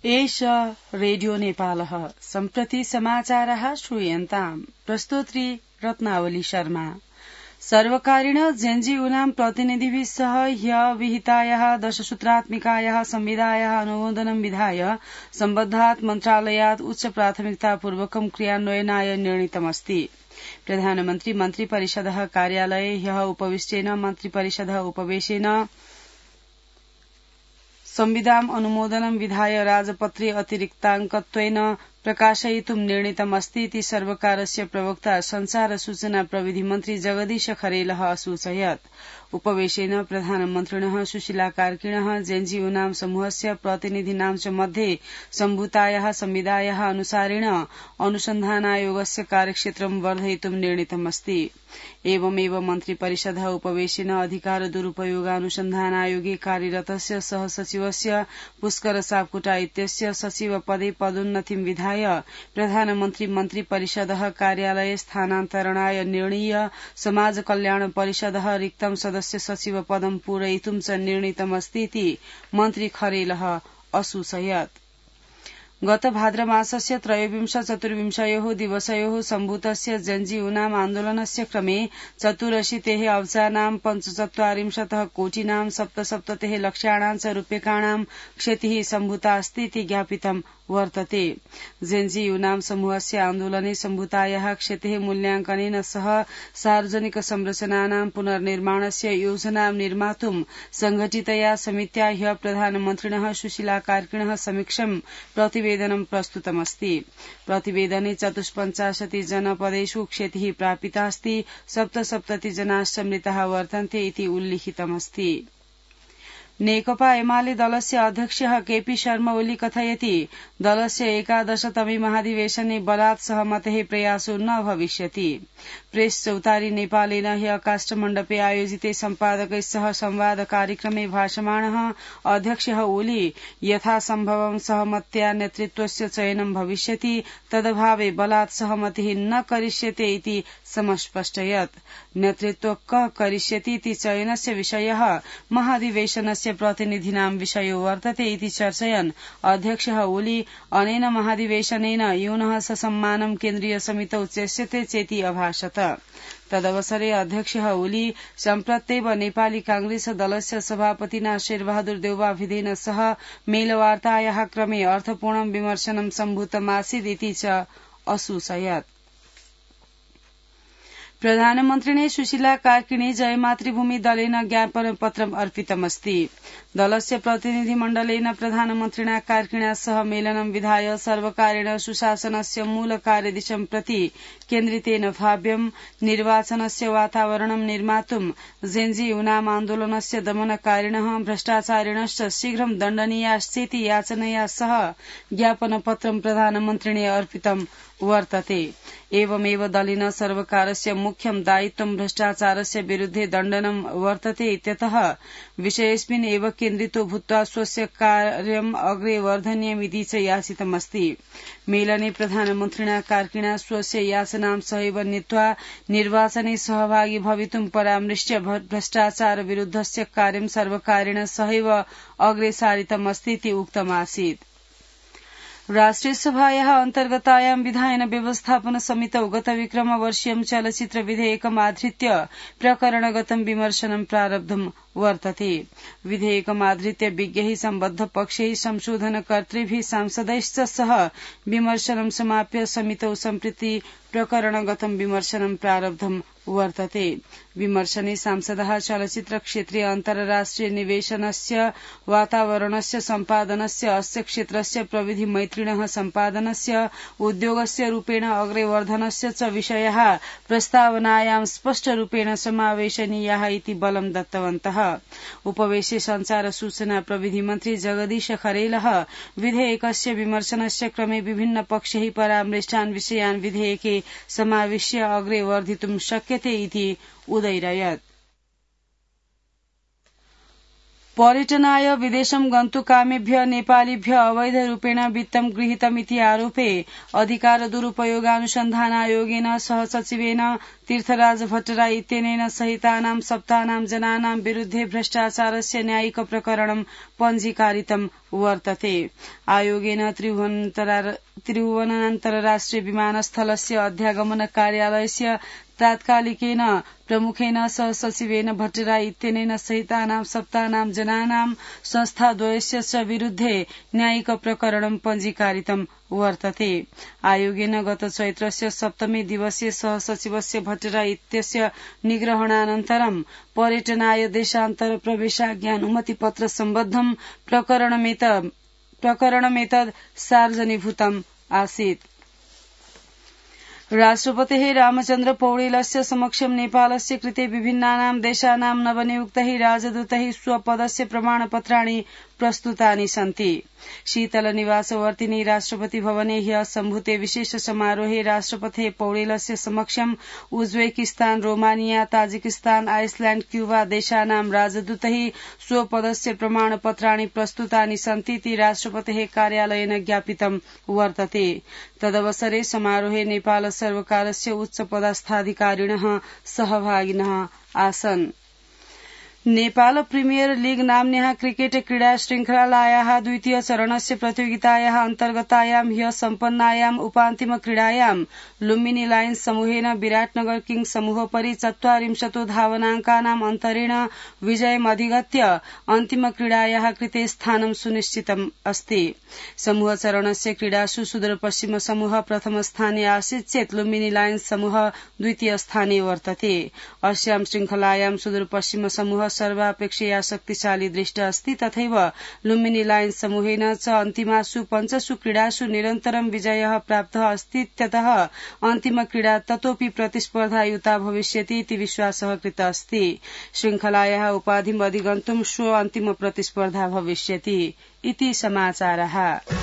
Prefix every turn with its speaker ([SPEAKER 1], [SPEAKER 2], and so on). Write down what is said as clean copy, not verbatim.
[SPEAKER 1] एष रेडियो नेपालः सम्प्रति समाचारः श्रूयन्ताम् प्रस्तोत्री रत्नावली शर्मा। सर्वकारेण जेएनयू प्रतिनिधिभिः सह ह्यः विहितायाः 10 सूत्रात्मिकायाः संविधायाः अनुमोदनं विधाय सम्बद्धात् मन्त्रालयात् उच्च प्राथमिकतापूर्वकं क्रियान्वयनाय निर्णीतमस्ति। प्रधानमन्त्री मन्त्रिपरिषदः कार्यालये ह्यः उपविष्टेन मन्त्रिपरिषदः उपवेशेन संविधान अनुमोदनं विधाय राजपत्रे अतिरिक्ताङ्कत्वेन प्रकाशयितुं निर्णीतमस्ति इति सर्वकारस्य प्रवक्ता संचार सूचना प्रविधि मन्त्री जगदीश खरेलः असूचयत्। उपवेशेन प्रधानमन्त्रिणः सुशीला कार्किणः जेएनयू समूहस्य प्रतिनिधीनां च मध्ये सम्भूतायाः संविधायाः अनुसारेण अनुसन्धानायोगस्य कार्यक्षेत्रं वर्धयितुं निर्णीतमस्ति। एवमेव मन्त्रिपरिषदः उपवेशेन अधिकार दुरुपयोगानुसन्धानायोगे कार्यरतस्य सहसचिवस्य पुष्कर सापकोटा इत्यस्य सचिव पदे पदोन्नतिं विधाय प्रधानमन्त्री मन्त्रिपरिषदः कार्यालये स्थानान्तरणाय निर्णीय समाज कल्याण परिषदः रिक्तं सदस्य सचिव पदं पूरयितुं च निर्णीतमस्ति इति मन्त्री खरेलः असूचयत्। गत भाद्रमासस्य 23-24 दिवसयोः सम्भूतस्य जेएनयू आन्दोलनस्य क्रमे 84 अब्जानां 45 कोटिनां 77 लक्षाणां च रूप्यकाणां क्षतिः सम्भूता अस्ति इति ज्ञापितं वर्तते। जेएनयू समूहस्य आन्दोलने सम्भूतायाः क्षतेः मूल्याङ्कनेन सह सार्वजनिक संरचनानां पुनर्निर्माणस्य योजनां निर्मातुं संघटितया समित्या ह्यः प्रधानमन्त्रिणः सुशीला कार्किणः समक्षं प्रतिवेदनं प्रस्तुतमस्ति। प्रतिवेदने 54 जनपदेषु क्षतिः प्रापितास्ति, 77 जनाश्च मृताः वर्तन्ते इति उल्लिखितमस्ति। नेकपा एमाले दलस्य अध्यक्षः केपी शर्मा ओली कथयति दलस्य 11तमे महाधिवेशने बलात् सहमतेः प्रयासो न भविष्यति। प्रेस चौतारी नेपालेन ह्यः काष्ठमण्डपे आयोजिते सम्पादकैः सह संवाद कार्यक्रमे भाषमाणः अध्यक्षः ओली यथासम्भवं सहमत्या नेतृत्वस्य चयनं भविष्यति, तदभावे बलात् सहमतिः न करिष्यते इति समस्पष्टयत्। नेतृत्व कः करिष्यति इति चयनस्य विषयः महाधिवेशनस्य प्रतिनिधीनां विषयो वर्तते इति चर्चयन् अध्यक्षः ओली अनेन महाधिवेशनेन यूनः ससम्मानं केन्द्रीय समितौ चेष्यते चेति अभाषत। तदवसरे अध्यक्षः ओली सम्प्रत्येव नेपाली कांग्रेस दलस्य सभापतिना शेरबहादुर देउवाभिधेन सह मेलवार्तायाः क्रमे अर्थपूर्णं विमर्शनं सम्भूतमासीत् इति च असूचयत्। प्रधानमन्त्रिणे सुशीला कार्किणे जयमातृभूमि दलेन ज्ञापनपत्रम् अर्पितमस्ति। दलस्य प्रतिनिधिमण्डलेन प्रधानमन्त्रिणा कार्किणा सह मेलनं विधाय सर्वकारेण सुशासनस्य मूल कार्यदिशं प्रति केन्द्रितेन भाव्यं निर्वाचनस्य वातावरणं निर्मातुं जेएनयू आन्दोलनस्य दमनकारिणः भ्रष्टाचारिणश्च शीघ्रं दण्डनीयाश्चेति याचनया सह ज्ञापनपत्रं प्रधानमन्त्रिणे अर्पितं वर्तते। एवमेव दलेन सर्वकारस्य मुख्यं दायित्वं भ्रष्टाचारस्य विरुद्धे दण्डनं वर्तते इत्यतः विषयेऽस्मिन् एव केन्द्रितो भूत्वा स्वस्य कार्यम् अग्रे वर्धनीयमिति च याचितमस्ति। मेलने प्रधानमन्त्रिणा कार्किणा स्वस्य याचनां सहैव नीत्वा निर्वाचने सहभागी भवितुं परामृश्य भ्रष्टाचार विरुद्धस्य कार्यं सर्वकारेण सहैव अग्रे सारितमस्ति इति उक्तमासीत्। राष्ट्रिय सभायाः अन्तर्गतायां विधायन व्यवस्थापन समितौ गत विक्रमवर्षीयं चलचित्र विधेयकमाधृत्य प्रकरणगतं विमर्शनं प्रारब्धं वर्तते। विधेयकमाधृत्य विज्ञैः सम्बद्ध पक्षैः संशोधनकर्तृभिः सांसदैश्च सह विमर्शनं समाप्य समितौ सम्प्रति प्रकरणगतं विमर्शनं प्रारब्धं वर्तते। विमर्शने सांसदः चलचित्र क्षेत्रे अन्तर्राष्ट्रिय निवेशनस्य वातावरणस्य सम्पादनस्य अस्य क्षेत्रस्य प्रविधि मैत्रिणः सम्पादनस्य उद्योगस्य रूपेण अग्रे वर्धनस्य च विषयाः प्रस्तावनायां स्पष्टरूपेण समावेशनीयाः इति बलं दत्तवन्तः। उपवेशे संचार सूचना प्रविधि मन्त्री जगदीश खरेलः विधेयकस्य विमर्शनस्य क्रमे विभिन्न पक्षैः परामृष्टान् विषयान् विधेयके समाविश्य अग्रे वर्धितुं शक्यते इति उदैरयत्। पर्यटनाय विदेशं गन्तुकामेभ्य नेपालीभ्य अवैध रूपेण वित्तं गृहीतमिति आरोपे अधिकार दुरूपयोगानुसन्धान आयोगेन सहसचिवेन तीर्थराज भट्टराई इत्यनेन सहितानां सप्तानां जनानां विरुद्धे भ्रष्टाचारस्य न्यायिक प्रकरणं पञ्जीकारितं वर्तते। आयोगेन त्रिभुवनान्तरराष्ट्रिय विमानस्थलस्य अध्यागमन कार्यालयस्य तात्कालिकेन प्रमुखेन सहसचिवेन भट्टराई इत्यनेन सहितानां सप्तानां जनानां संस्थाद्वयस्य च विरुद्धे न्यायिक प्रकरणं पञ्जीकारितं वर्तते। आयोगेन गत चैत्रस्य सप्तमी दिवसीय सहसचिवस्य भट्टराई इत्यस्य निग्रहणानन्तरं पर्यटनाय देशान्तर प्रवेशाज्ञानुमतिपत्र सम्बद्धं प्रकरणमेतद् सार्वजनिभूतम् आसीत्। राष्ट्रपतेः रामचन्द्र पौडेलस्य समक्षं नेपालस्य कृते विभिन्नानां देशानां नवनियुक्तैः राजदूतैः स्वपदस्य प्रमाणपत्राणि प्रस्तुतानि सन्ति। शीतलनिवासवर्तिनी राष्ट्रपति भवने ह्यः सम्भूते विशेष समारोहे राष्ट्रपतेः पौडेलस्य समक्षं Uzbekistan, Romania, Tajikistan, Iceland, Cuba देशानां राजदूतैः स्वपदस्य प्रमाणपत्राणि प्रस्तुतानि सन्तीति राष्ट्रपतेः कार्यालयेन ज्ञापितं वर्तते। तदवसरे समारोहे नेपाल सर्वकारस्य उच्चपदस्थाधिकारिणः सहभागिनः आसन्। नेपाल प्रिमियर लीग नाम्न्याः क्रिकेट क्रीडा श्रृंखलायाः द्वितीय चरणस्य प्रतियोगितायाः अन्तर्गतायां ह्यः सम्पन्नायाम् उपान्तिम क्रीडायां लुम्बिनी लायन्स समूहेन विराटनगर किङ्ग्स समूहोपरि 40 धावनाङ्कानाम् अन्तरेण विजयमधिगत्य अन्तिम क्रीडायाः कृते स्थानं सुनिश्चितम् अस्ति। समूह चरणस्य क्रीडासु सुदूरपश्चिम समूह प्रथम स्थाने आसीत् चेत् लुम्बिनी लायन्स समूह द्वितीय स्थाने वर्तते। अस्यां श्रृंखलायां सुदूरपश्चिम समूह सर्वापेक्षया शक्तिशाली दृष्ट अस्ति। तथैव लुम्बिनी लायन्स समूहेन च अन्तिमासु 5 क्रीडासु निरन्तरं विजयः प्राप्तः अस्ति। इत्यतः अन्तिम क्रीडा ततोऽपि प्रतिस्पर्धायुता भविष्यति इति विश्वासः कृतः अस्ति। श्रृंखलायाः उपाधिम् अधिगन्तुं श्वः अन्तिम प्रतिस्पर्धा भविष्यति इति समाचारः।